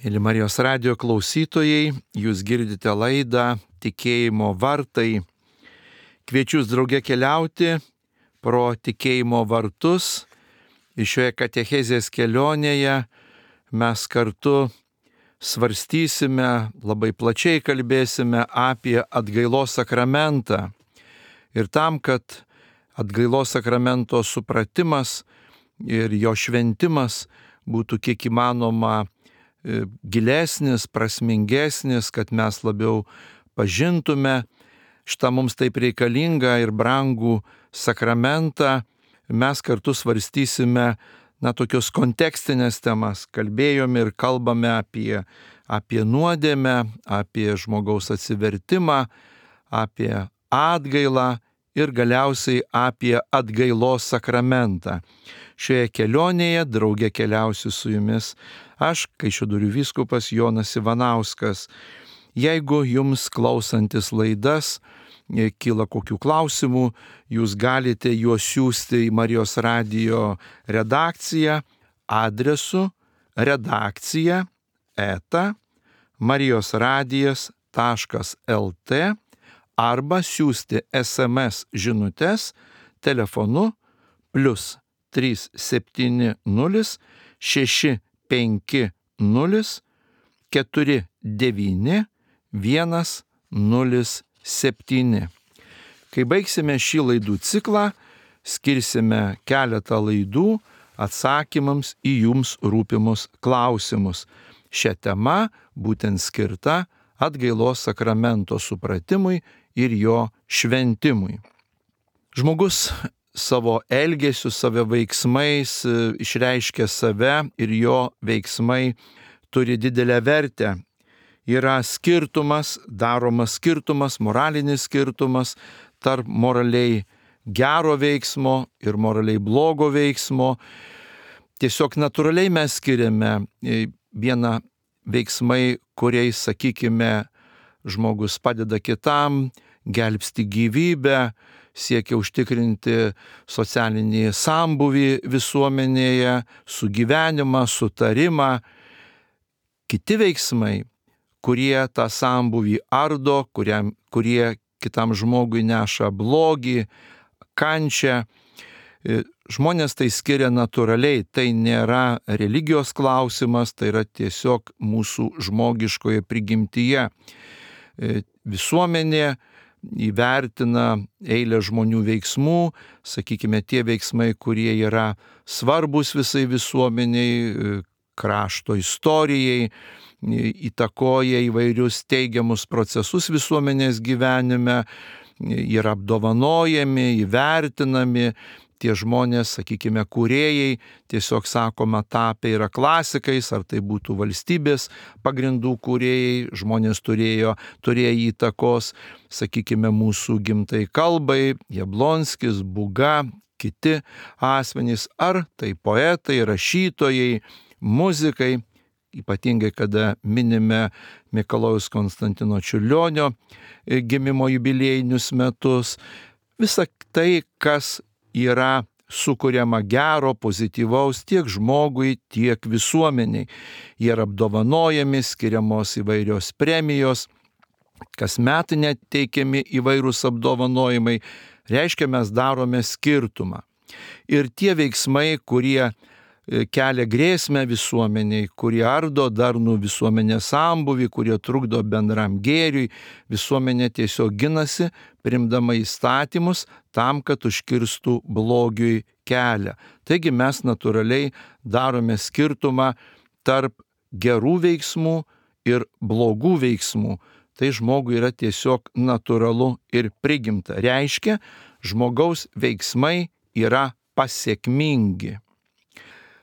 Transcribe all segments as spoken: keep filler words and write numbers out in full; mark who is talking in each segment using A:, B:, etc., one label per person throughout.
A: Mėly Marijos radijo klausytojai, jūs girdite laidą Tikėjimo vartai. Kviečiu jūs drauge keliauti pro tikėjimo vartus. Ir šioje katechezės kelionėje mes kartu svarstysime, labai plačiai kalbėsime apie atgailos sakramentą. Ir tam, kad atgailos sakramento supratimas ir jo šventimas būtų kiek įmanoma gilesnis, prasmingesnis, kad mes labiau pažintume šitą mums taip reikalingą ir brangų sakramentą, mes kartu svarstysime na, tokios kontekstinės temas. Kalbėjome ir kalbame apie, apie nuodėmę, apie žmogaus atsivertimą, apie atgailą ir galiausiai apie atgailos sakramentą. Šioje kelionėje drauge keliausiu su jumis aš, Kaišiadorių vyskupas Jonas Ivanauskas. Jeigu jums klausantis laidas kyla kokių klausimų, jūs galite juos siųsti į Marijos radijo redakciją adresu redakcija eta marijosradijas taškas lt arba siųsti es em es žinutes telefonu plius trys septyni nulis šeši penki nulis keturi devyni vienas nulis septyni. Kai baigsime šį laidų ciklą, skirsime keletą laidų atsakymams į jums rūpimus klausimus. Šią temą būtent skirta atgailos sakramento supratimui ir jo šventimui. Žmogus savo elgesiu, savo veiksmais išreiškia save ir jo veiksmai turi didelę vertę. Yra skirtumas, daromas skirtumas, moralinis skirtumas tarp moraliai gero veiksmo ir moraliai blogo veiksmo. Tiesiog natūraliai mes skiriame vieną veiksmai, kuriais, sakykime, žmogus padeda kitam, gelbsti gyvybę, siekia užtikrinti socialinį sambūvį visuomenėje, sugyvenimą, sutarimą. Kiti veiksmai, kurie tą sambūvį ardo, kuriam, kurie kitam žmogui neša blogį, kančią. Žmonės tai skiria natūraliai, tai nėra religijos klausimas, tai yra tiesiog mūsų žmogiškoje prigimtyje. Visuomenė įvertina eilę žmonių veiksmų, sakykime, tie veiksmai, kurie yra svarbus visai visuomeniai, krašto istorijai, įtakoja įvairius teigiamus procesus visuomenės gyvenime, yra apdovanojami, įvertinami. Tie žmonės, sakykime, kūrėjai, tiesiog sakoma, tapę yra klasikais, ar tai būtų valstybės pagrindų kūrėjai, žmonės turėjo, turėjo įtakos, sakykime, mūsų gimtai kalbai, Jablonskis, Būga, kiti asmenys, ar tai poetai, rašytojai, muzikai, ypatingai kada minime Mikalojaus Konstantino Čiurlionio gimimo jubiliejinius metus. Visa tai, kas yra sukuriama gero, pozityvaus tiek žmogui, tiek visuomeniai. Jie yra apdovanojami, skiriamos įvairios premijos, kasmet net teikiami įvairūs apdovanojimai. Reiškia, mes darome skirtumą. Ir tie veiksmai, kurie kelia grėsmę visuomeniai, kurie ardo darnų visuomenės sambūvį, kurie trukdo bendram gėriui, visuomenė tiesiog ginasi, priimdama įstatymus tam, kad užkirstų blogiui kelią. Taigi mes natūraliai darome skirtumą tarp gerų veiksmų ir blogų veiksmų. Tai žmogui yra tiesiog natūralu ir prigimta. Reiškia, žmogaus veiksmai yra pasiekmingi.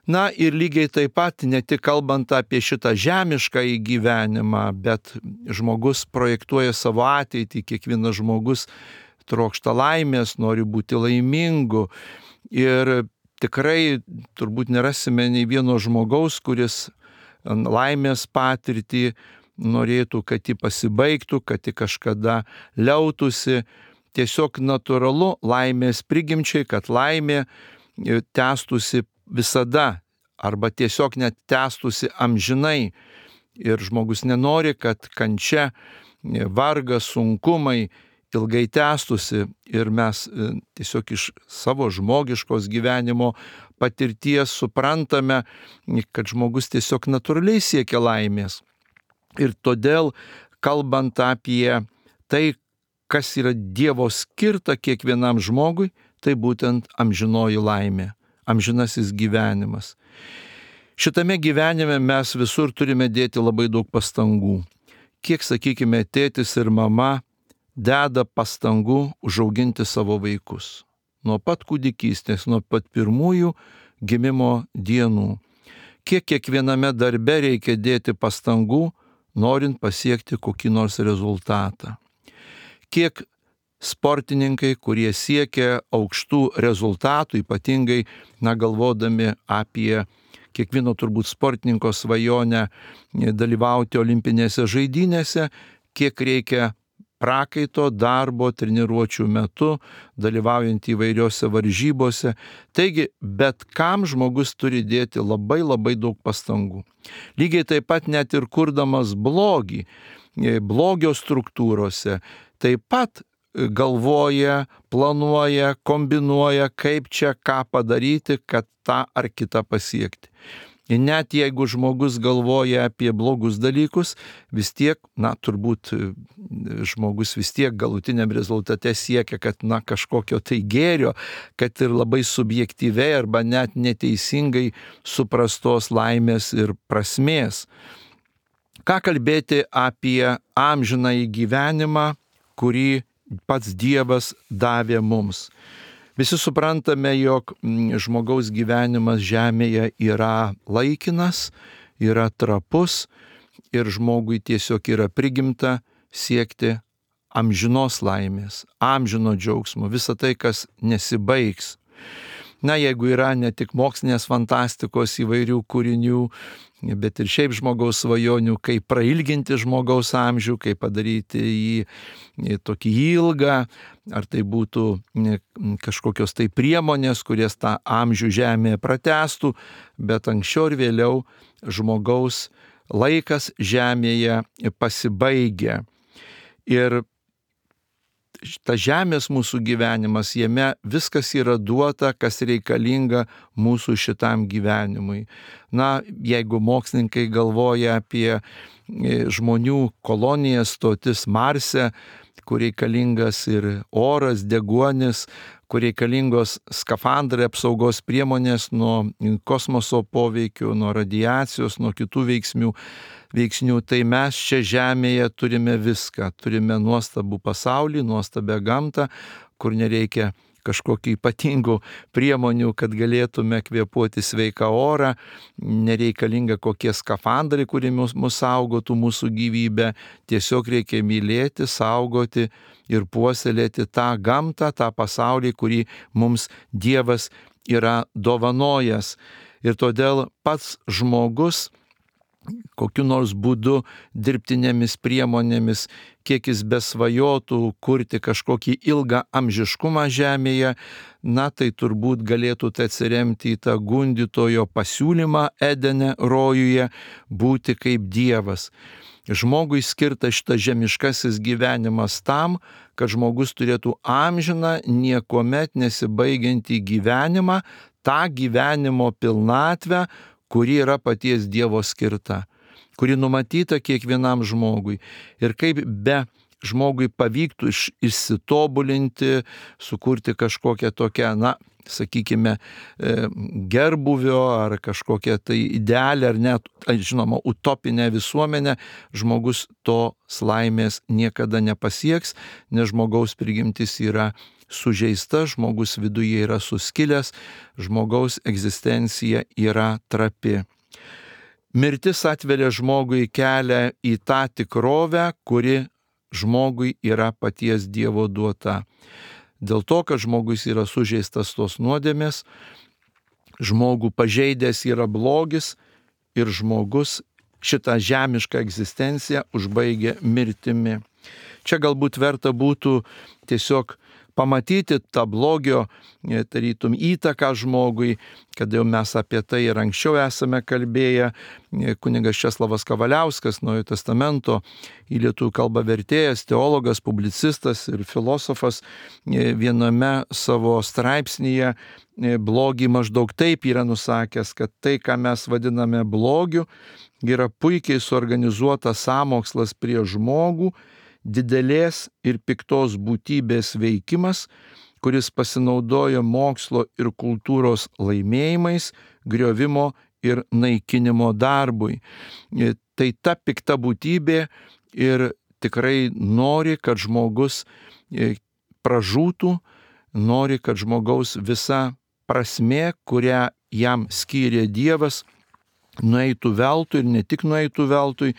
A: Na ir lygiai taip pat, ne tik kalbant apie šitą žemišką gyvenimą, bet žmogus projektuoja savo ateitį, kiekvienas žmogus trokšta laimės, nori būti laimingu. Ir tikrai turbūt nerasime nei vieno žmogaus, kuris laimės patirtį norėtų, kad ji pasibaigtų, kad ji kažkada liautųsi. Tiesiog natūralu laimės prigimčiai, kad laimė tęstųsi visada arba tiesiog net tęstųsi amžinai. ir žmogus nenori, kad kančia, vargas, sunkumai ilgai tęstusi ir mes tiesiog iš savo žmogiškos gyvenimo patirties suprantame, kad žmogus tiesiog natūraliai siekia laimės. Ir todėl, kalbant apie tai, kas yra Dievo skirta kiekvienam žmogui, tai būtent amžinoji laimė, amžinasis gyvenimas. Šitame gyvenime mes visur turime dėti labai daug pastangų. Kiek, sakykime, tėtis ir mama deda pastangų užauginti savo vaikus. Nuo pat kūdikystės, nuo pat pirmųjų gimimo dienų. Kiek kiekviename darbe reikia dėti pastangų, norint pasiekti kokį nors rezultatą. Kiek sportininkai, kurie siekia aukštų rezultatų, ypatingai, na, galvodami apie kiekvieno turbūt sportininko svajonę dalyvauti olimpinėse žaidynėse, kiek reikia prakaito, darbo, treniruočių metu, dalyvaujant įvairiose varžybose. Taigi, bet kam žmogus turi dėti labai labai daug pastangų. Lygiai taip pat net ir kurdamas blogį, blogio struktūrose, taip pat galvoja, planuoja, kombinuoja, kaip čia ką padaryti, kad tą ar kitą pasiekti. Ir net jeigu žmogus galvoja apie blogus dalykus, vis tiek, na, turbūt žmogus vis tiek galutiniam rezultate siekia, kad, na, kažkokio tai gėrio, kad ir labai subjektyviai arba net neteisingai suprastos laimės ir prasmės. Ką kalbėti apie amžinąjį gyvenimą, kurį pats Dievas davė mums. Visi suprantame, jog žmogaus gyvenimas žemėje yra laikinas, yra trapus ir žmogui tiesiog yra prigimta siekti amžinos laimės, amžino džiaugsmo, visą tai, kas nesibaigs. Na, jeigu yra ne tik mokslinės fantastikos įvairių kūrinių, bet ir šiaip žmogaus svajonių, kaip prailginti žmogaus amžių, kaip padaryti jį tokį ilgą, ar tai būtų kažkokios tai priemonės, kurias tą amžių žemėje pratęstų, bet anksčiau ir vėliau žmogaus laikas žemėje pasibaigia. Ir ta žemės mūsų gyvenimas, jame viskas yra duota, kas reikalinga mūsų šitam gyvenimui. Na, jeigu mokslininkai galvoja apie žmonių kolonijas, stotis Marse, kur reikalingas ir oras, deguonis, kur reikalingos skafandrai, apsaugos priemonės nuo kosmoso poveikių, nuo radiacijos, nuo kitų veiksmių, veiksnių, tai mes čia žemėje turime viską. Turime nuostabų pasaulį, nuostabę gamtą, kur nereikia kažkokių ypatingų priemonių, kad galėtume kvėpuoti sveiką orą, nereikalinga kokie skafandrai, kurie mus, mus saugotų mūsų gyvybę, tiesiog reikia mylėti, saugoti ir puoselėti tą gamtą, tą pasaulį, kurį mums Dievas yra dovanojęs. Ir todėl pats žmogus kokiu nors būdu, dirbtinėmis priemonėmis, kiek jis besvajotų kurti kažkokį ilgą amžiškumą žemėje, na tai turbūt galėtų tai atsiremti į tą gundytojo pasiūlymą Edene rojuje būti kaip Dievas. Žmogui skirtas šitas žemiškasis gyvenimas tam, kad žmogus turėtų amžiną, niekuomet nesibaigiantį gyvenimą, tą gyvenimo pilnatvę, kuri yra paties Dievo skirta, kuri numatyta kiekvienam žmogui. Ir kaip be žmogui pavyktų iš, išsitobulinti, sukurti kažkokią tokią, na, sakykime, gerbuvio ar kažkokią tai idealią ar net, žinoma, utopinę visuomenę, žmogus tos laimės niekada nepasieks, nes žmogaus prigimtis yra sužeista, žmogus viduje yra suskilęs, žmogaus egzistencija yra trapi. Mirtis atveria žmogui kelią į tą tikrovę, kuri žmogui yra paties Dievo duota. Dėl to, kad žmogus yra sužeistas tos nuodėmės, žmogų pažeidęs yra blogis ir žmogus šitą žemišką egzistenciją užbaigia mirtimi. Čia galbūt verta būtų tiesiog pamatyti tą blogio, tarytum, įtaką žmogui, kad jau mes apie tai ir anksčiau esame kalbėję. Kunigas Česlavas Kavaliauskas, Naujojo testamento į lietuvių kalbą vertėjas, teologas, publicistas ir filosofas, viename savo straipsnyje blogį maždaug taip yra nusakęs, kad tai, ką mes vadiname blogiu, yra puikiai suorganizuotas sąmokslas prieš žmogų, didelės ir piktos būtybės veikimas, kuris pasinaudoja mokslo ir kultūros laimėjimais, griovimo ir naikinimo darbui. Tai ta pikta būtybė ir tikrai nori, kad žmogus pražūtų, nori, kad žmogaus visa prasmė, kurią jam skyrė Dievas, nueitų veltui ir ne tik nueitų veltui,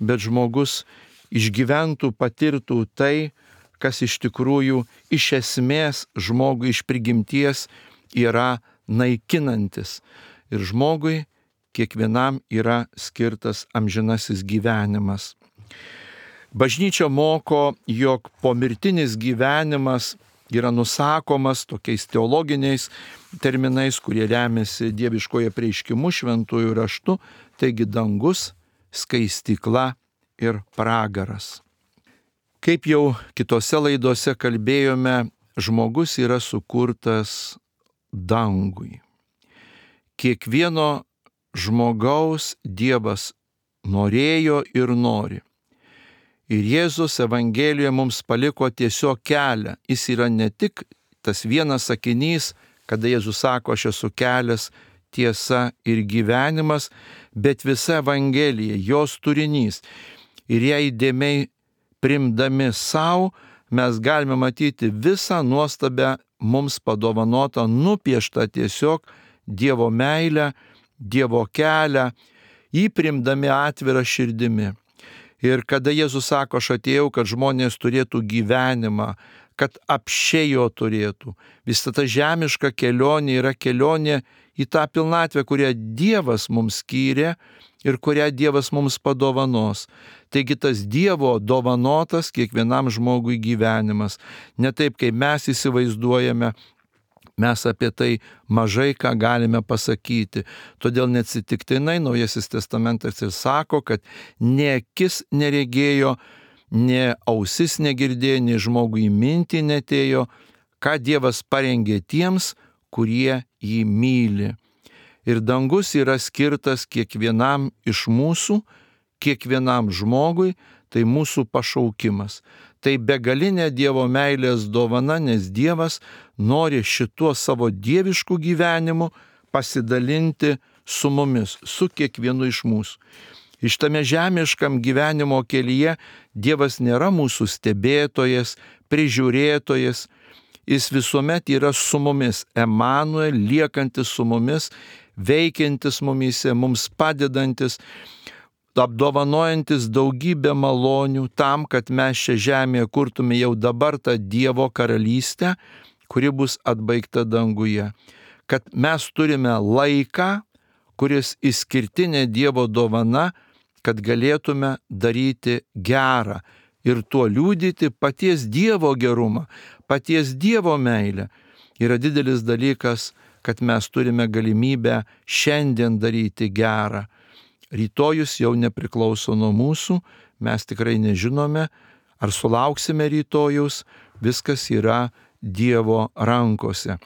A: bet žmogus išgyventų, patirtų tai, kas iš tikrųjų iš esmės žmogui iš prigimties yra naikinantis. Ir žmogui kiekvienam yra skirtas amžinasis gyvenimas. Bažnyčia moko, jog pomirtinis gyvenimas yra nusakomas tokiais teologiniais terminais, kurie remiasi dieviškoje apreiškimu, šventųjų raštu, taigi dangus, skaistykla ir pragaras. Kaip jau kitose laidose kalbėjome, žmogus yra sukurtas dangui. Kiekvieno žmogaus Dievas norėjo ir nori. Ir Jėzus Evangelijoje mums paliko tiesiog kelią. Jis yra ne tik tas vienas sakinys, kada Jėzus sako, aš esu kelias, tiesa ir gyvenimas, bet visa Evangelija, jos turinys. Ir ją įdėmiai primdami savo, mes galime matyti visą nuostabę mums padovanotą, nupieštą tiesiog Dievo meilę, Dievo kelią, jį primdami atvirą širdimi. Ir kada Jėzus sako, aš atėjau, kad žmonės turėtų gyvenimą, kad apsčiai jo turėtų. Visa ta žemiška kelionė yra kelionė į tą pilnatvę, kurią Dievas mums skyrė ir kurią Dievas mums padovanos. Taigi tas Dievo dovanotas kiekvienam žmogui gyvenimas. Ne taip, kaip mes įsivaizduojame, mes apie tai mažai ką galime pasakyti. Todėl neatsitiktinai Naujasis testamentas ir sako, kad ne akis neregėjo, ne ausis negirdėjo, ne žmogui mintį netėjo, ką Dievas parengė tiems, kurie jį myli. Ir dangus yra skirtas kiekvienam iš mūsų, kiekvienam žmogui, tai mūsų pašaukimas. Tai begalinė Dievo meilės dovana, nes Dievas nori šituo savo dievišku gyvenimu pasidalinti su mumis, su kiekvienu iš mūsų. Iš tame žemiškam gyvenimo kelyje Dievas nėra mūsų stebėtojas, prižiūrėtojas, jis visuomet yra su mumis, Emanuel, liekantis su mumis, veikiantis mumyse, mums padedantis, apdovanojantis daugybę malonių tam, kad mes šią žemėje kurtume jau dabar tą Dievo karalystę, kuri bus atbaigta danguje. Kad mes turime laiką, kuris išskirtinė Dievo dovana, kad galėtume daryti gerą ir tuo liudyti paties Dievo gerumą, paties Dievo meilę. Yra didelis dalykas, kad mes turime galimybę šiandien daryti gerą. Rytojus jau nepriklauso nuo mūsų, mes tikrai nežinome, ar sulauksime rytojus, viskas yra Dievo rankose.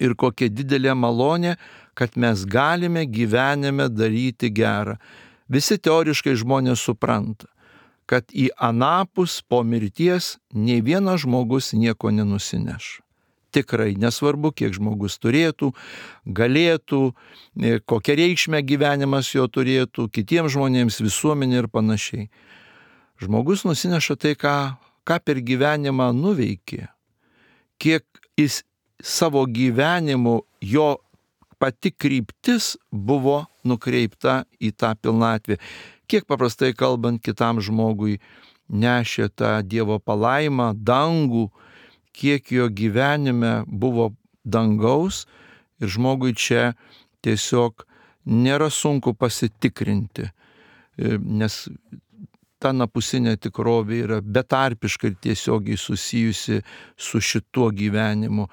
A: Ir kokia didelė malonė, kad mes galime gyvenime daryti gerą. Visi teoriškai žmonės supranta, kad į anapus po mirties nei vienas žmogus nieko nenusineš. Tikrai, nesvarbu, kiek žmogus turėtų, galėtų, kokią reikšmę gyvenimas jo turėtų, kitiems žmonėms, visuomenė ir panašiai. Žmogus nusineša tai, ką, ką per gyvenimą nuveikė, kiek jis savo gyvenimu, jo pati kryptis buvo nukreipta į tą pilnatvę. Kiek paprastai kalbant kitam žmogui nešė tą Dievo palaimą, dangų, kiek jo gyvenime buvo dangaus ir žmogui čia tiesiog nėra sunku pasitikrinti, nes ta napusinė tikrovė yra betarpiškai ir tiesiogiai susijusi su šituo gyvenimu.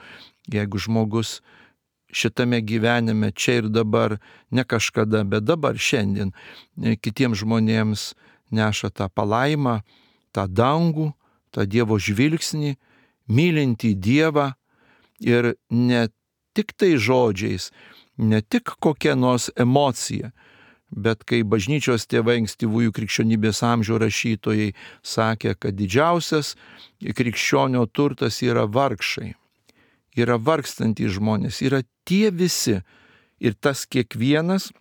A: Jeigu žmogus šitame gyvenime čia ir dabar, ne kažkada, bet dabar, šiandien, kitiems žmonėms neša tą palaimą, tą dangų, tą Dievo žvilgsnį, mylintį Dievą ir ne tik tai žodžiais, ne tik kokia nors emocija, bet kai bažnyčios tėvai ankstyvųjų krikščionybės amžių rašytojai sakė, kad didžiausias krikščionio turtas yra vargšai, yra vargstantys žmonės, yra tie visi ir tas kiekvienas,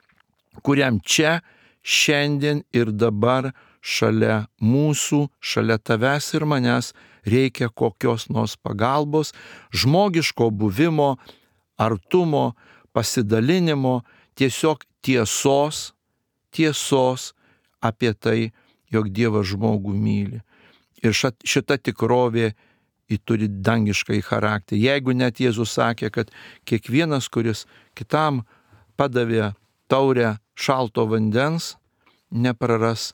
A: kuriam čia, šiandien ir dabar šalia mūsų, šalia tavęs ir manęs reikia kokios nors pagalbos, žmogiško buvimo, artumo, pasidalinimo, tiesiog tiesos, tiesos apie tai, jog Dievas žmogų myli. Ir šita tikrovė ji turi dangiškai charakterį. Jeigu net Jėzus sakė, kad kiekvienas, kuris kitam padavė taurę šalto vandens, nepraras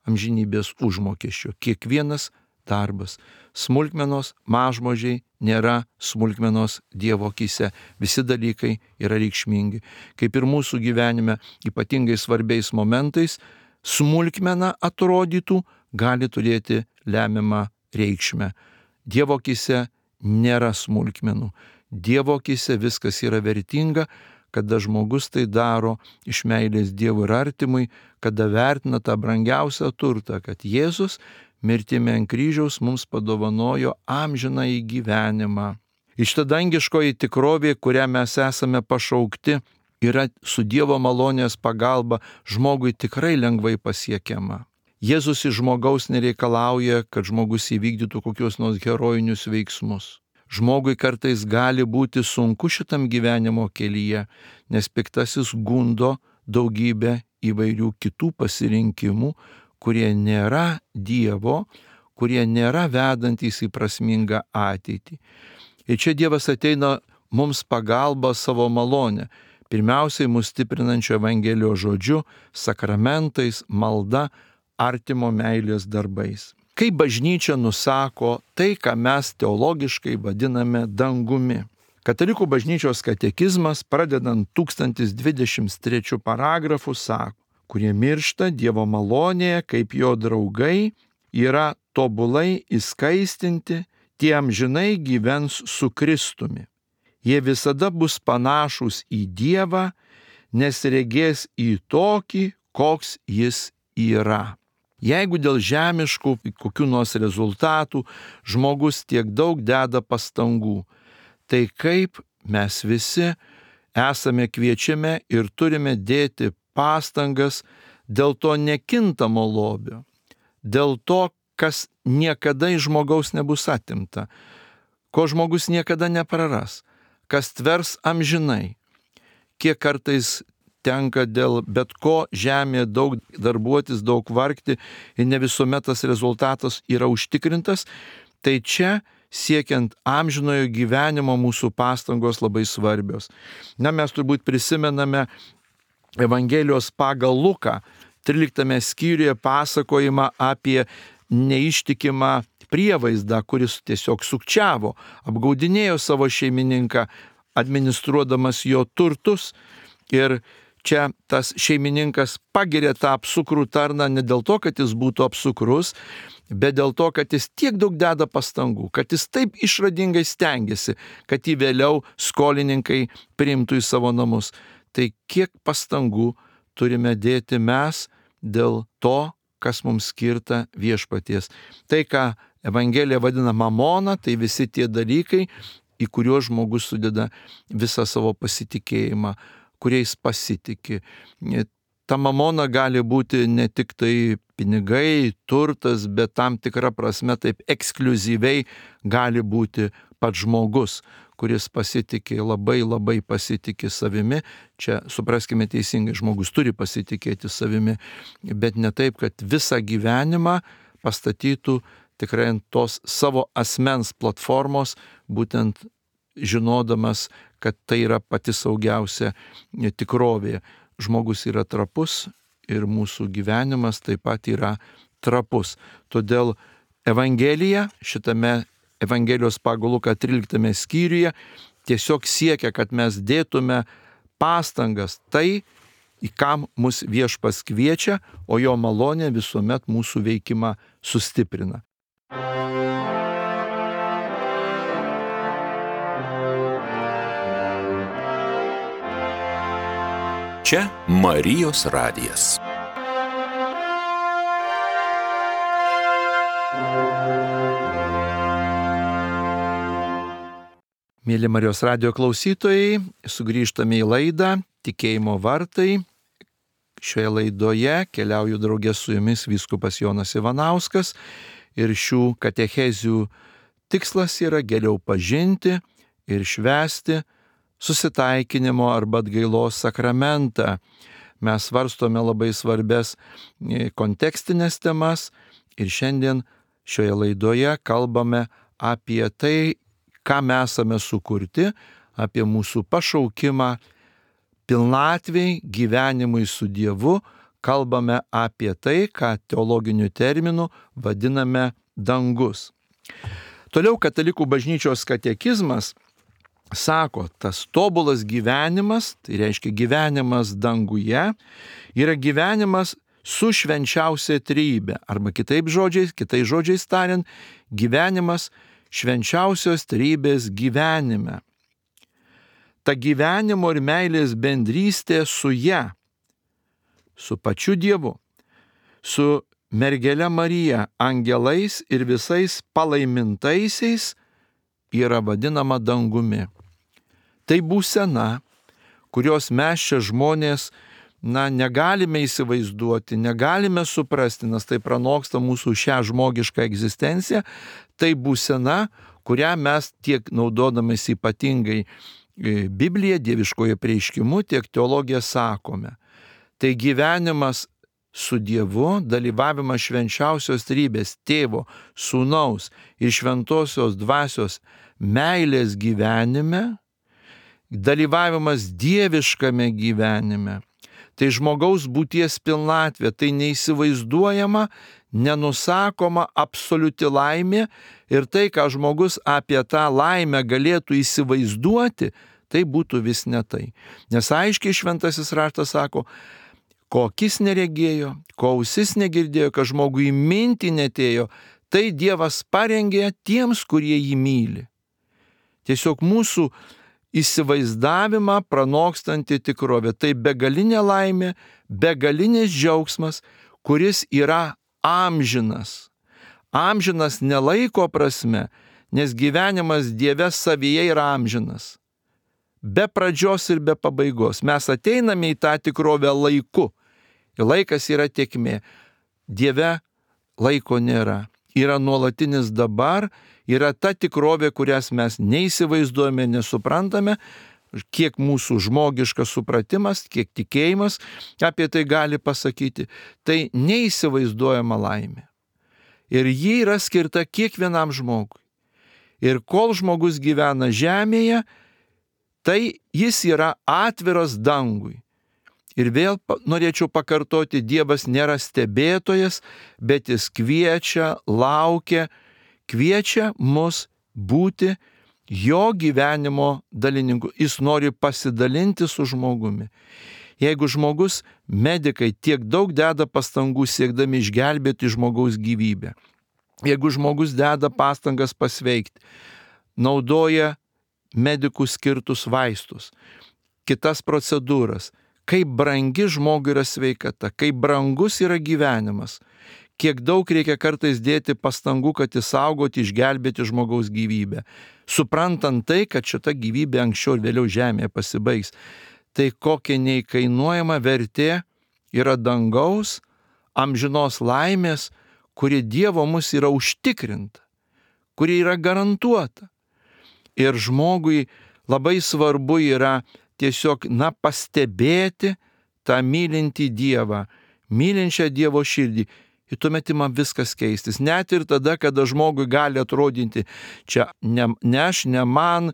A: amžinybės užmokesčio. Kiekvienas darbas. Smulkmenos, mažmožiai nėra smulkmenos Dievo akyse. Visi dalykai yra reikšmingi. Kaip ir mūsų gyvenime ypatingai svarbiais momentais, smulkmena atrodytų gali turėti lemiamą reikšmę. Dievo akyse nėra smulkmenų. Dievo akyse viskas yra vertinga, kada žmogus tai daro iš meilės Dievui ir artimui, kada vertina tą brangiausią turtą, kad Jėzus mirtimi ant kryžiaus mums padovanojo amžinąjį gyvenimą. Ir šita dangiškoji tikrovė, kurią mes esame pašaukti, yra su Dievo malonės pagalba žmogui tikrai lengvai pasiekiama. Jėzus iš žmogaus nereikalauja, kad žmogus įvykdytų kokius nors herojinius veiksmus. Žmogui kartais gali būti sunku šitam gyvenimo kelyje, nes piktasis gundo daugybę įvairių kitų pasirinkimų, kurie nėra Dievo, kurie nėra vedantys į prasmingą ateitį. Ir čia Dievas ateina mums pagalba savo malonę, pirmiausiai mus stiprinančio Evangelijos žodžiu, sakramentais, malda, artimo meilės darbais. Kai bažnyčia nusako tai, ką mes teologiškai vadiname dangumi. Katalikų bažnyčios katekizmas, pradedant tūkstantis dvidešimt trečiu paragrafu, sako, kurie miršta Dievo malonėje kaip jo draugai, yra tobulai įskaistinti, tie amžinai gyvens su Kristumi. Jie visada bus panašūs į Dievą, nes regės į tokį, koks jis yra. Jeigu dėl žemiškų kokių nors rezultatų žmogus tiek daug deda pastangų, tai kaip mes visi esame kviečiami ir turime dėti pastangas dėl to nekintamo lobio, dėl to, kas niekada iš žmogaus nebus atimta, ko žmogus niekada nepraras, kas tvers amžinai. Kiek kartais tenka dėl bet ko žemėje daug darbuotis, daug vargti ir ne visuomet tas rezultatas yra užtikrintas, tai čia siekiant amžinojo gyvenimo mūsų pastangos labai svarbios. Na, mes turbūt prisimename Evangelijos pagal Luką, tryliktame skyriuje pasakojimą apie neištikimą prievaizdą, kuris tiesiog sukčiavo, apgaudinėjo savo šeimininką, administruodamas jo turtus. Ir čia tas šeimininkas pagiria tą apsukrų tarną ne dėl to, kad jis būtų apsukrus, bet dėl to, kad jis tiek daug deda pastangų, kad jis taip išradingai stengiasi, kad jį vėliau skolininkai priimtų į savo namus. Tai kiek pastangų turime dėti mes dėl to, kas mums skirta viešpaties. Tai, ką Evangelija vadina mamona, tai visi tie dalykai, į kuriuos žmogus sudeda visą savo pasitikėjimą, kuriais pasitikė. Ta mamona gali būti ne tik tai pinigai, turtas, bet tam tikra prasme taip ekskliuzyviai gali būti pats žmogus, kuris pasitikė, labai labai pasitikė savimi. Čia supraskime teisingai, žmogus turi pasitikėti savimi, bet ne taip, kad visą gyvenimą pastatytų tikrai ant tos savo asmens platformos, būtent žinodamas, kad tai yra pati saugiausia tikrovė. Žmogus yra trapus ir mūsų gyvenimas taip pat yra trapus. Todėl Evangelija, šitame Evangelijos pagal Luką tryliktame skyriuje, tiesiog siekia, kad mes dėtume pastangas tai, į kam mus Viešpats kviečia, o jo malonė visuomet mūsų veikimą sustiprina.
B: Čia Marijos radijas.
A: Mėly Marijos radijo klausytojai, sugrįžtame į laidą Tikėjimo vartai. Šioje laidoje keliauju draugė su jumis vyskupas Jonas Ivanauskas ir šių katechezių tikslas yra geriau pažinti ir švęsti susitaikinimo arba atgailos sakramentą. Mes svarstome labai svarbes kontekstinės temas ir šiandien šioje laidoje kalbame apie tai, ką mes esame sukurti, apie mūsų pašaukimą pilnatvei, gyvenimui su Dievu, kalbame apie tai, ką teologiniu terminu vadiname dangus. Toliau Katalikų bažnyčios katekizmas sako, tas tobulas gyvenimas, tai reiškia gyvenimas danguje, yra gyvenimas su švenčiausia trejybe, arba kitaip žodžiais, kitais žodžiais tariant, gyvenimas švenčiausios trejybės gyvenime. Ta gyvenimo ir meilės bendrystė su ja, su pačiu Dievu, su mergele Marija, angelais ir visais palaimintaisiais yra vadinama dangumi. Tai būsena, kurios mes čia žmonės na, negalime įsivaizduoti, negalime suprasti, nes tai pranoksta mūsų šią žmogišką egzistenciją. Tai būsena, kurią mes tiek naudodamės ypatingai Bibliją, dieviškojo prieiškimu, tiek teologiją sakome. Tai gyvenimas su Dievu, dalyvavimas švenčiausios trejybės Tėvo, Sūnaus ir Šventosios Dvasios meilės gyvenime, dalyvavimas dieviškame gyvenime. Tai žmogaus būties pilnatvė, tai neįsivaizduojama, nenusakoma absoliuti laimė ir tai, ką žmogus apie tą laimę galėtų įsivaizduoti, tai būtų vis ne tai. Nes aiškiai šventasis raštas sako, ko akis neregėjo, ko ausis negirdėjo, kad žmogui mintį netėjo, tai Dievas parengė tiems, kurie jį myli. Tiesiog mūsų įsivaizdavimą pranokstanti tikrovė. Tai begalinė laimė, begalinis džiaugsmas, kuris yra amžinas. Amžinas ne laiko prasme, nes gyvenimas Dieve savyje yra amžinas. Be pradžios ir be pabaigos. Mes ateiname į tą tikrovę laiku. Ir laikas yra tėkmė. Dieve laiko nėra. Yra nuolatinis dabar, yra ta tikrovė, kurias mes neįsivaizduojame, nesuprantame, kiek mūsų žmogiškas supratimas, kiek tikėjimas apie tai gali pasakyti. Tai neįsivaizduojama laimė. Ir ji yra skirta kiekvienam žmogui. Ir kol žmogus gyvena žemėje, tai jis yra atviras dangui. Ir vėl norėčiau pakartoti, Dievas nėra stebėtojas, bet jis kviečia, laukia, kviečia mus būti jo gyvenimo dalininku. Jis nori pasidalinti su žmogumi. Jeigu žmogus, medikai tiek daug deda pastangų siekdami išgelbėti žmogaus gyvybę, jeigu žmogus deda pastangas pasveikti, naudoja medikų skirtus vaistus, kitas procedūras, kaip brangi žmogui yra sveikata, kaip brangus yra gyvenimas, kiek daug reikia kartais dėti pastangų, kad įsaugoti, išgelbėti žmogaus gyvybę, suprantant tai, kad šita gyvybė anksčiau ir vėliau žemėje pasibaigs. Tai kokia neįkainuojama vertė yra dangaus, amžinos laimės, kuri Dievo mus yra užtikrinta, kuri yra garantuota. Ir žmogui labai svarbu yra tiesiog, na, pastebėti tą mylintį Dievą, mylinčią Dievo širdį, ir tuomet ima viskas keistis. Net ir tada, kada žmogui gali atrodyti, čia ne, ne aš, ne man,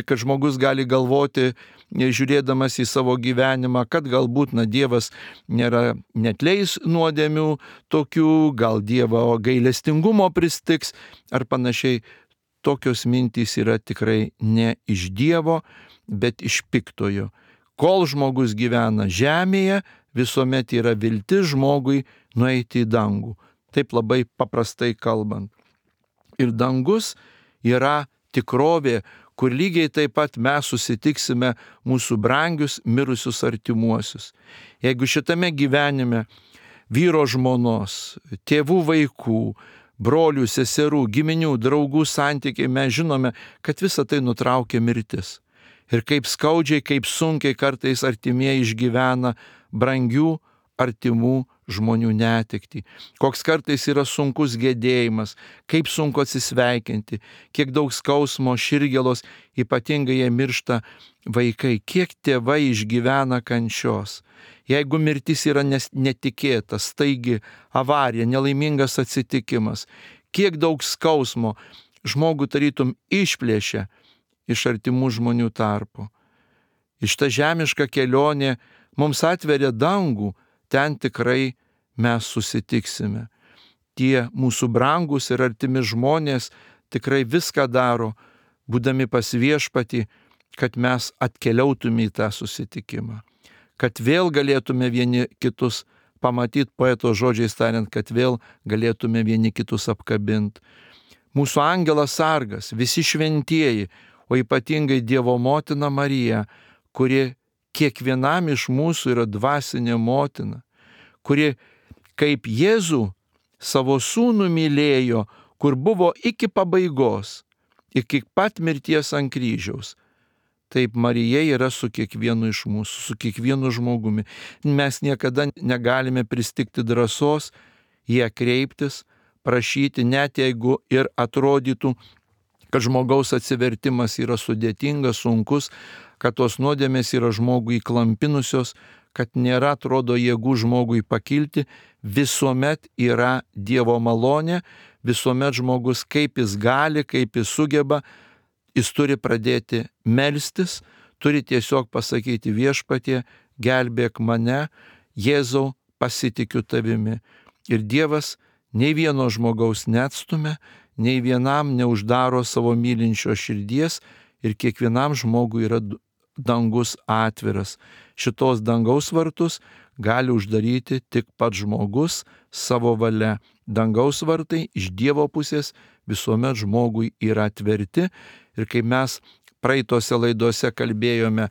A: kad žmogus gali galvoti, žiūrėdamas į savo gyvenimą, kad galbūt na, Dievas nėra netleis nuodėmių tokių, gal Dievo gailestingumo pristiks ar panašiai. Tokios mintys yra tikrai ne iš Dievo, bet iš piktojo. Kol žmogus gyvena žemėje, visuomet yra viltis žmogui nueiti į dangų. Taip labai paprastai kalbant. Ir dangus yra tikrovė, kur lygiai taip pat mes susitiksime mūsų brangius mirusius artimuosius. Jeigu šitame gyvenime vyro žmonos, tėvų vaikų, brolių, seserų, giminių, draugų santykiai, mes žinome, kad visa tai nutraukia mirtis. Ir kaip skaudžiai, kaip sunkiai kartais artimieji išgyvena brangių artimų žmonių netektį. Koks kartais yra sunkus gedėjimas, kaip sunku atsisveikinti, kiek daug skausmo, širgėlos, ypatingai jie miršta vaikai, kiek tėvai išgyvena kančios. Jeigu mirtis yra netikėta, staigi avarija, nelaimingas atsitikimas, kiek daug skausmo žmogų tarytum išplėšia iš artimų žmonių tarpo. Iš ta žemiška kelionė mums atveria dangų, ten tikrai mes susitiksime. Tie mūsų brangus ir artimi žmonės tikrai viską daro, būdami pas viešpatį, kad mes atkeliautume į tą susitikimą. Kad vėl galėtume vieni kitus pamatyti, poeto žodžiais tariant, kad vėl galėtume vieni kitus apkabinti. Mūsų angelas sargas, visi šventieji, o ypatingai Dievo motina Marija, kuri kiekvienam iš mūsų yra dvasinė motina, kuri kaip Jėzų savo sūnų mylėjo, kur buvo iki pabaigos, iki pat mirties ant kryžiaus. Taip Marija yra su kiekvienu iš mūsų, su kiekvienu žmogumi. Mes niekada negalime pristigti drąsos į ją kreiptis, prašyti, net jeigu ir atrodytų, kad žmogaus atsivertimas yra sudėtingas, sunkus, kad tos nuodėmės yra žmogui įklampinusios, kad nėra, atrodo, jėgų žmogui pakilti, visuomet yra Dievo malonė, visuomet žmogus kaip jis gali, kaip jis sugeba, jis turi pradėti melstis, turi tiesiog pasakyti viešpatie, gelbėk mane, Jėzau, pasitikiu tavimi. Ir Dievas nei vieno žmogaus neatstumia, nei vienam neuždaro savo mylinčio širdies ir kiekvienam žmogui yra dangus atviras. Šitos dangaus vartus gali uždaryti tik pats žmogus savo valia. Dangaus vartai iš Dievo pusės visuomet žmogui yra atverti. Ir kai mes praeitose laidose kalbėjome,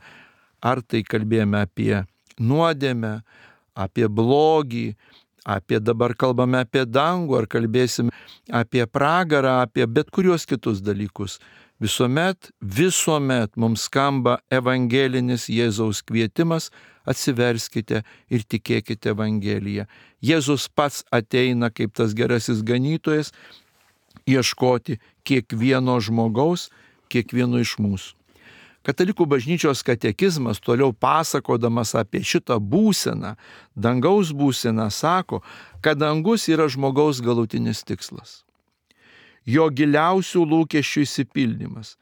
A: ar tai kalbėjome apie nuodėmę, apie blogį, apie dabar kalbame apie dangų, ar kalbėsim apie pragarą, apie bet kuriuos kitus dalykus. Visuomet, visuomet mums skamba evangelinis Jėzaus kvietimas, atsiverskite ir tikėkite Evangeliją. Jėzus pats ateina kaip tas gerasis ganytojas ieškoti kiekvieno žmogaus, kiekvieno iš mūsų. Katalikų bažnyčios katekizmas, toliau pasakodamas apie šitą būseną, dangaus būseną, sako, kad dangus yra žmogaus galutinis tikslas. Jo giliausių lūkesčių išsipildymas,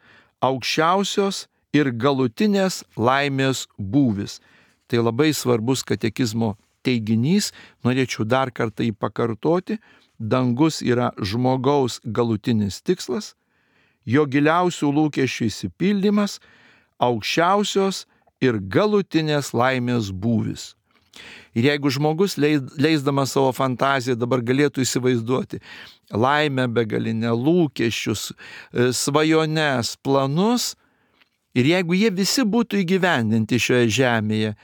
A: aukščiausios ir galutinės laimės būvis. Tai labai svarbus katekizmo teiginys, norėčiau dar kartą jį pakartoti, dangus yra žmogaus galutinis tikslas, jo giliausių lūkesčių išsipildymas, aukščiausios ir galutinės laimės būvis. Ir jeigu žmogus leisdamas savo fantaziją dabar galėtų įsivaizduoti laimę begalinę, lūkesčius, svajones, planus, ir jeigu jie visi būtų įgyvendinti šioje žemėje,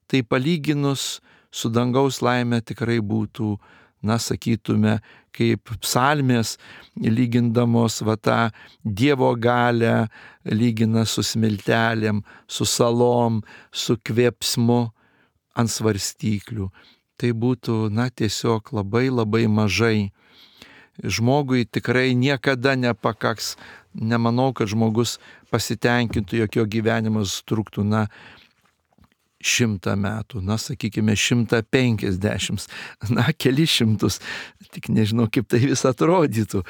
A: tai palyginus su dangaus laime tikrai būtų, na, sakytume, kaip psalmės, lygindamos va tą Dievo galią, lygina su smiltelėm, su salom, su kvėpsmu ant svarstyklių. Tai būtų, na, tiesiog labai labai mažai. Žmogui tikrai niekada nepakaks. Nemanau, kad žmogus pasitenkintų, jog jo gyvenimas truktų, na, šimtą metų, na, sakykime, šimtą penkiasdešimt, na, keli šimtus, tik nežinau, kaip tai vis atrodytų,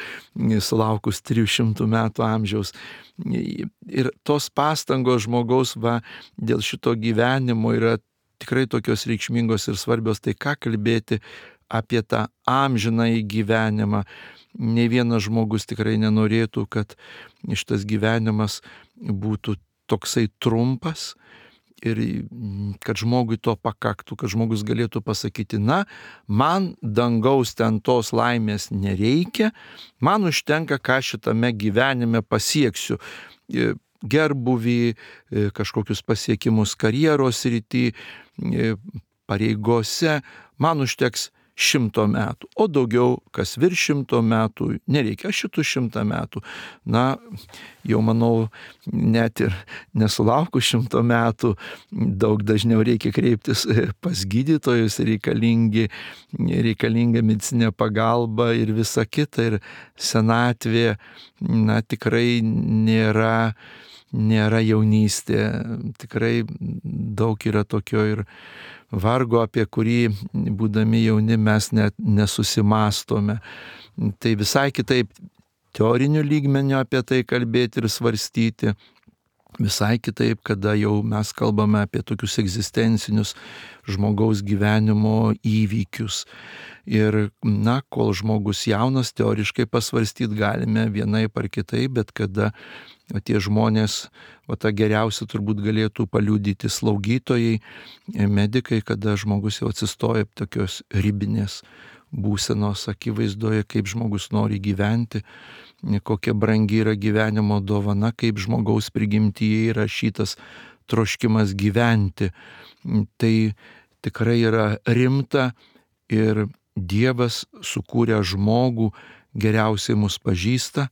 A: sulaukus trijų šimtų metų amžiaus. Ir tos pastangos žmogaus va, dėl šito gyvenimo yra tikrai tokios reikšmingos ir svarbios, tai ką kalbėti apie tą amžinąjį gyvenimą. Ne vienas žmogus tikrai nenorėtų, kad šitas gyvenimas būtų toksai trumpas ir kad žmogui to pakaktų, kad žmogus galėtų pasakyti, na, man dangaus ten tos laimės nereikia, man užtenka, ką šitame gyvenime pasieksiu. Gerbuvį, kažkokius pasiekimus karjeros rytį, pareigose, man užteks šimto metų, o daugiau, kas virš šimto metų, nereikia šitų šimtą metų. Na, jau manau, net ir nesulaukus šimto metų, daug dažniau reikia kreiptis pas gydytojus, reikalingi, reikalinga medicinė pagalba ir visa kita, ir senatvė, na, tikrai nėra, nėra jaunystė, tikrai daug yra tokio ir vargo, apie kurį, būdami jauni, mes net nesusimastome. Tai visai kitaip teorinių lygmenių apie tai kalbėti ir svarstyti, visai kitaip, kada jau mes kalbame apie tokius egzistencinius žmogaus gyvenimo įvykius. Ir, na, kol žmogus jaunas, teoriškai pasvarstyti galime vienaip ar kitaip, bet kada o tie žmonės, o tą geriausia turbūt galėtų paliudyti slaugytojai, medikai, kada žmogus jau atsistoja tokios ribinės būsenos akivaizdoje, kaip žmogus nori gyventi, kokia brangi yra gyvenimo dovana, kaip žmogaus prigimtyje yra šitas troškimas gyventi. Tai tikrai yra rimta ir Dievas sukūrė žmogų, geriausiai mus pažįsta,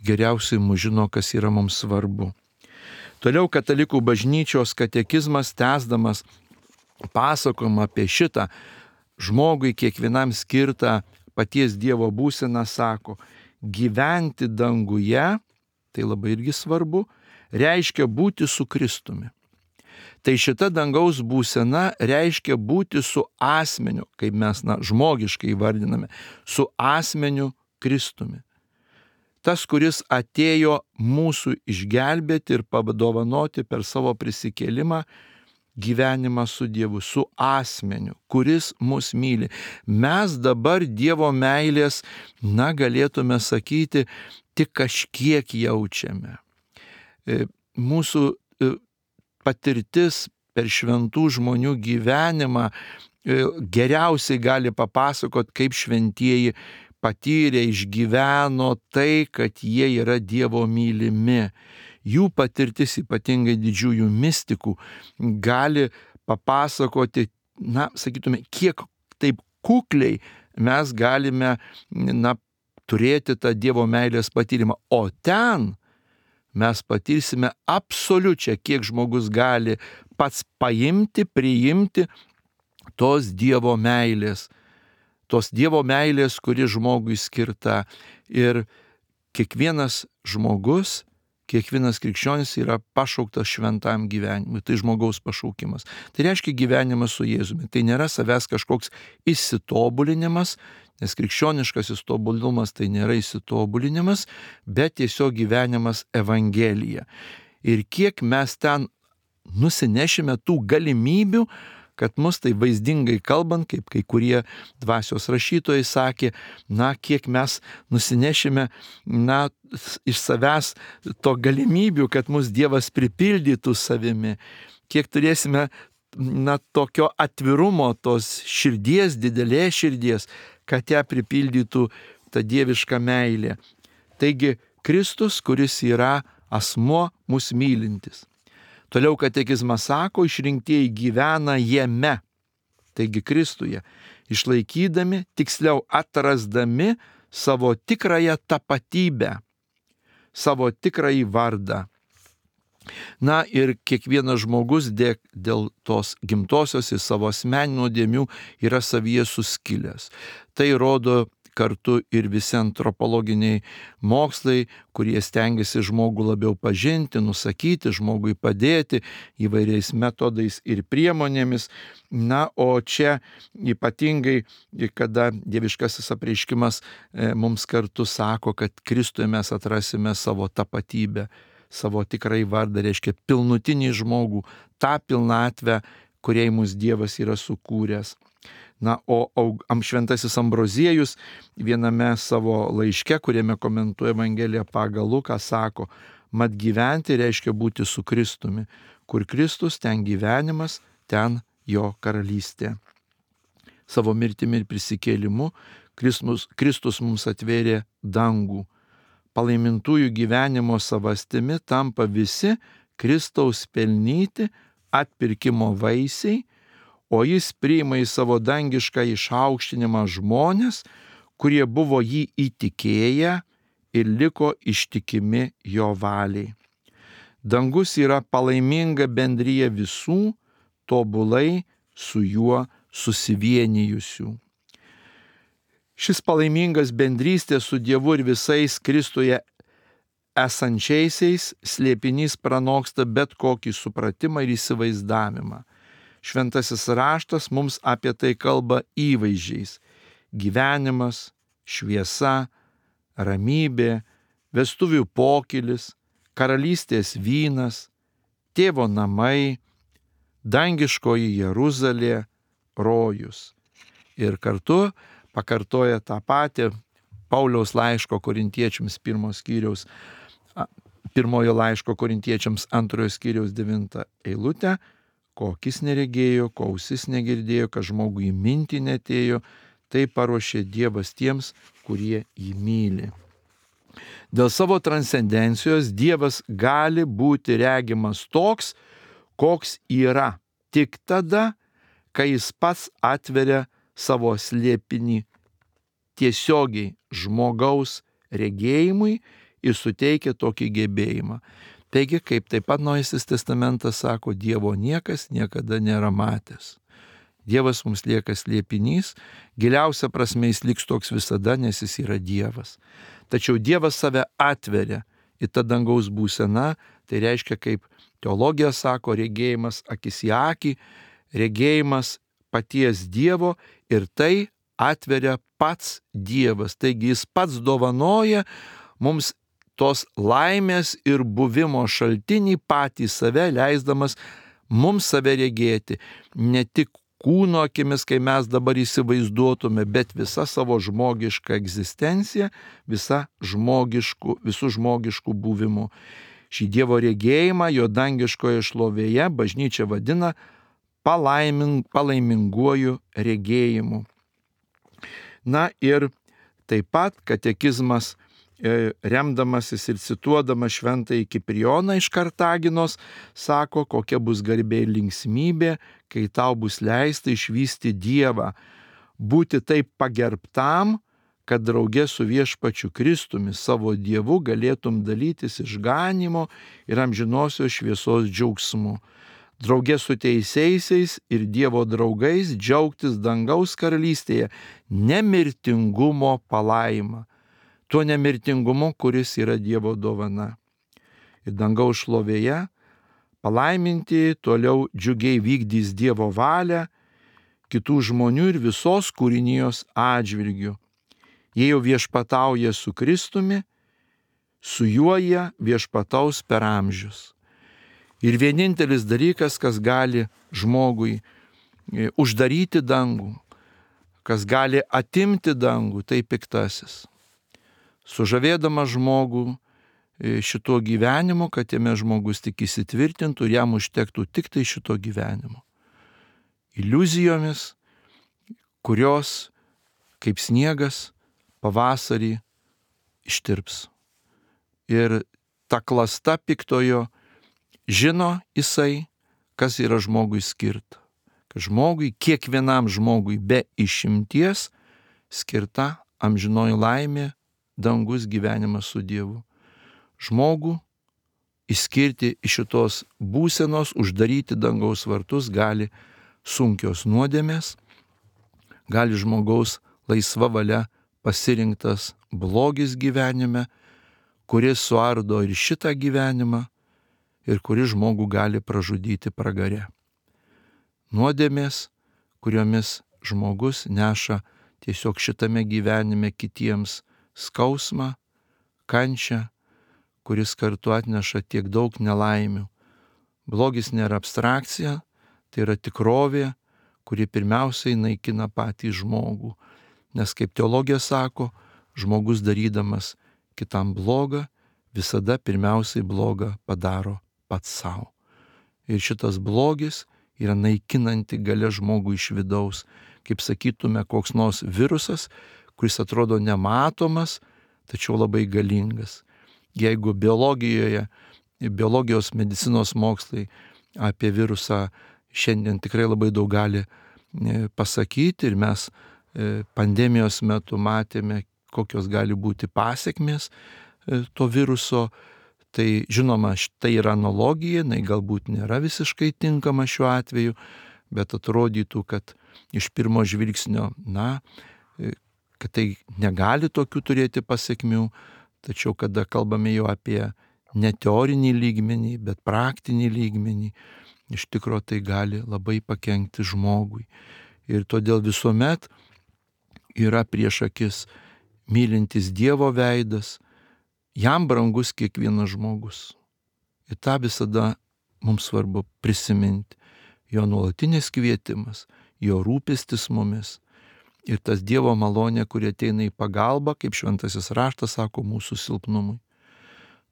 A: geriausiai mus žino, kas yra mums svarbu. Toliau katalikų bažnyčios katekizmas, tęsdamas pasakojimą apie šitą žmogui kiekvienam skirtą paties Dievo būseną, sako, gyventi danguje, tai labai irgi svarbu, reiškia būti su Kristumi. Tai šita dangaus būsena reiškia būti su asmeniu, kaip mes, na, žmogiškai įvardiname, su asmeniu Kristumi. Tas, kuris atėjo mūsų išgelbėti ir padovanoti per savo prisikėlimą gyvenimą su Dievu, su asmeniu, kuris mus myli. Mes dabar Dievo meilės, na, galėtume sakyti, tik kažkiek jaučiame. Mūsų patirtis per šventų žmonių gyvenimą geriausiai gali papasakot, kaip šventieji patyrė, išgyveno tai, kad jie yra Dievo mylimi. Jų patirtis, ypatingai didžiųjų mistikų, gali papasakoti, na, sakytume, kiek taip kukliai mes galime, na, turėti tą Dievo meilės patyrimą. O ten mes patirsime absoliučią, kiek žmogus gali pats paimti, priimti tos Dievo meilės. Tos Dievo meilės, kuri žmogui skirta. Ir kiekvienas žmogus, kiekvienas krikščionis yra pašauktas šventam gyvenimui. Tai žmogaus pašaukimas. Tai reiškia gyvenimas su Jėzumi. Tai nėra savęs kažkoks įsitobulinimas, nes krikščioniškasis tobulumas tai nėra įsitobulinimas, bet tiesiog gyvenimas Evangelija. Ir kiek mes ten nusinešime tų galimybių, kad mus tai vaizdingai kalbant, kaip kai kurie dvasios rašytojai sakė, na, kiek mes nusinešime, na, iš savęs to galimybių, kad mus Dievas pripildytų savimi, kiek turėsime, na, tokio atvirumo, tos širdies, didelės širdies, kad ją pripildytų ta dieviška meilė. Taigi Kristus, kuris yra asmuo mus mylintis. Toliau katekizmas sako, išrinktieji gyvena jame, taigi Kristuje, išlaikydami, tiksliau atrasdami savo tikrąją tapatybę, savo tikrąjį vardą. Na ir kiekvienas žmogus dėl, dėl tos gimtosios ir savo asmeninių nuodėmių yra savyje suskilęs. Tai rodo kartu ir visi antropologiniai mokslai, kurie stengiasi žmogų labiau pažinti, nusakyti, žmogui padėti įvairiais metodais ir priemonėmis. Na, o čia ypatingai, kada dieviškasis apreiškimas mums kartu sako, kad Kristuje mes atrasime savo tapatybę, savo tikrai vardą, reiškia pilnutinį žmogų, tą pilnatvę, kuriai mūsų Dievas yra sukūręs. Na, o šventasis Ambroziejus viename savo laiške, kuriame komentuoja Evangeliją pagal Luką, sako, mat gyventi reiškia būti su Kristumi. Kur Kristus, ten gyvenimas, ten jo karalystė. Savo mirtimi ir prisikėlimu Kristus, Kristus mums atvėrė dangų. Palaimintųjų gyvenimo savastimi tampa visi Kristaus pelnyti atpirkimo vaisiai, o jis priima į savo dangišką išaukštinimą žmonės, kurie buvo jį įtikėję ir liko ištikimi jo valiai. Dangus yra palaiminga bendrija visų tobulai su juo susivienijusių. Šis palaimingas bendrystė su Dievu ir visais Kristuje esančiaisiais slėpinys pranoksta bet kokį supratimą ir įsivaizdavimą. Šventasis raštas mums apie tai kalba įvaizdžiais. Gyvenimas, šviesa, ramybė, vestuvių pokylis, karalystės vynas, tėvo namai, dangiškoji Jeruzalė, rojus. Ir kartu pakartoja tą patį Pauliaus laiško Korintiečiams pirmos skyriaus, pirmojo laiško Korintiečiams antrojo skyriaus devintą eilutę, ko akis neregėjo, ko ausis negirdėjo, kad žmogui mintį netėjo, tai paruošė Dievas tiems, kurie jį myli. Dėl savo transcendencijos Dievas gali būti regimas toks, koks yra, tik tada, kai jis pats atveria savo slėpinį tiesiogiai žmogaus regėjimui ir suteikia tokį gebėjimą. Taigi, kaip taip pat Naujasis testamentas sako, Dievo niekas niekada nėra matęs. Dievas mums lieka slėpinys, giliausia prasme jis liks toks visada, nes jis yra Dievas. Tačiau Dievas save atveria į tą dangaus būseną, tai reiškia, kaip teologija sako, regėjimas akis į akį, regėjimas paties Dievo ir tai atveria pats Dievas. Taigi jis pats dovanoja mums tos laimės ir buvimo šaltinį patį save, leisdamas mums save regėti. Ne tik kūno akimis, kai mes dabar įsivaizduotume, bet visa savo žmogiška egzistencija, visa žmogiškų, visų žmogiškų buvimų. Šį Dievo regėjimą jo dangiškoje šlovėje bažnyčia vadina palaiming, palaiminguoju regėjimu. Na ir taip pat katekizmas, remdamasis ir cituodamas šventąjį Kiprijoną iš Kartaginos, sako, kokia bus garbė ir linksmybė, kai tau bus leista išvysti Dievą, būti taip pagerbtam, kad drauge su viešpačiu Kristumi savo Dievu galėtum dalytis išganymo ir amžinosios šviesos džiaugsmu. Drauge su teisiaisiais ir Dievo draugais džiaugtis dangaus karalystėje nemirtingumo palaima. Tuo nemirtingumu, kuris yra Dievo dovana. Ir dangaus šlovėje palaiminti toliau džiugiai vykdys Dievo valią kitų žmonių ir visos kūrinijos atžvilgių. Jie jau viešpatauja su Kristumi, su juo jie viešpataus per amžius. Ir vienintelis dalykas, kas gali žmogui uždaryti dangų, kas gali atimti dangų, tai piktasis. Sužavėdamas žmogų šito gyvenimo, kad jame žmogus tik įsitvirtintų ir jam užtektų tik tai šito gyvenimo. Iliuzijomis, kurios kaip sniegas pavasarį ištirps. Ir ta klasta piktojo žino jisai, kas yra žmogui skirta. Kad žmogui, kiekvienam žmogui be išimties skirta amžinoji laimė, dangus gyvenimas su Dievu. Žmogų išskirti iš šitos būsenos, uždaryti dangaus vartus gali sunkios nuodėmės, gali žmogaus laisva valia pasirinktas blogis gyvenime, kuris suardo ir šitą gyvenimą, ir kuris žmogų gali pražudyti pragare. Nuodėmės, kuriomis žmogus neša tiesiog šitame gyvenime kitiems skausmą, kančią, kuris kartu atneša tiek daug nelaimių. Blogis nėra abstrakcija, tai yra tikrovė, kuri pirmiausiai naikina patį žmogų. Nes kaip teologija sako, žmogus darydamas kitam blogą, visada pirmiausiai blogą padaro pats savo. Ir šitas blogis yra naikinanti galia žmogų iš vidaus, kaip sakytume, koks nors virusas, kuris atrodo nematomas, tačiau labai galingas. Jeigu biologijoje, biologijos medicinos mokslai apie virusą šiandien tikrai labai daug gali pasakyti ir mes pandemijos metu matėme, kokios gali būti pasekmės to viruso, tai žinoma, tai yra analogija, jinai galbūt nėra visiškai tinkama šiuo atveju, bet atrodytų, kad iš pirmo žvilgsnio, na, kad tai negali tokių turėti pasekmių, tačiau kada kalbame jau apie ne teorinį lygmenį, bet praktinį lygmenį, iš tikro tai gali labai pakenkti žmogui. Ir todėl visuomet yra prieš akis mylintis Dievo veidas, jam brangus kiekvienas žmogus. Ir tą visada mums svarbu prisiminti. Jo nuolatinis kvietimas, jo rūpestis mumis ir tas Dievo malonė, kuri ateina į pagalbą, kaip šventasis raštas sako, mūsų silpnumui.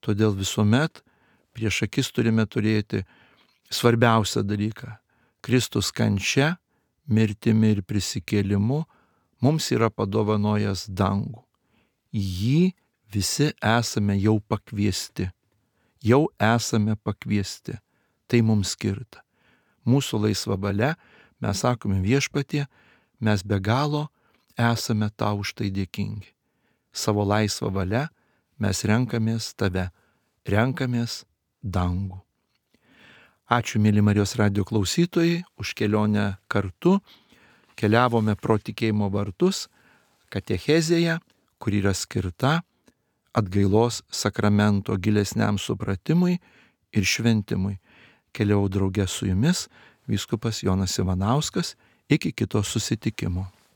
A: Todėl visuomet prieš akis turime turėti svarbiausią dalyką. Kristus kančia, mirtimi ir prisikėlimu mums yra padovanojęs dangų. Į jį visi esame jau pakviesti. Jau esame pakviesti. Tai mums skirta. Mūsų laisva valia, mes sakome Viešpatie, mes be galo esame tau už tai dėkingi. Savo laisvą valia mes renkamės tave, renkamės dangų. Ačiū, mėly Marijos radijo klausytojai, už kelionę kartu. Keliavome pro tikėjimo vartus katechezėje, kur yra skirta atgailos sakramento gilesniam supratimui ir šventimui. Keliau drauge su jumis vyskupas Jonas Ivanauskas. Iki kito susitikimo.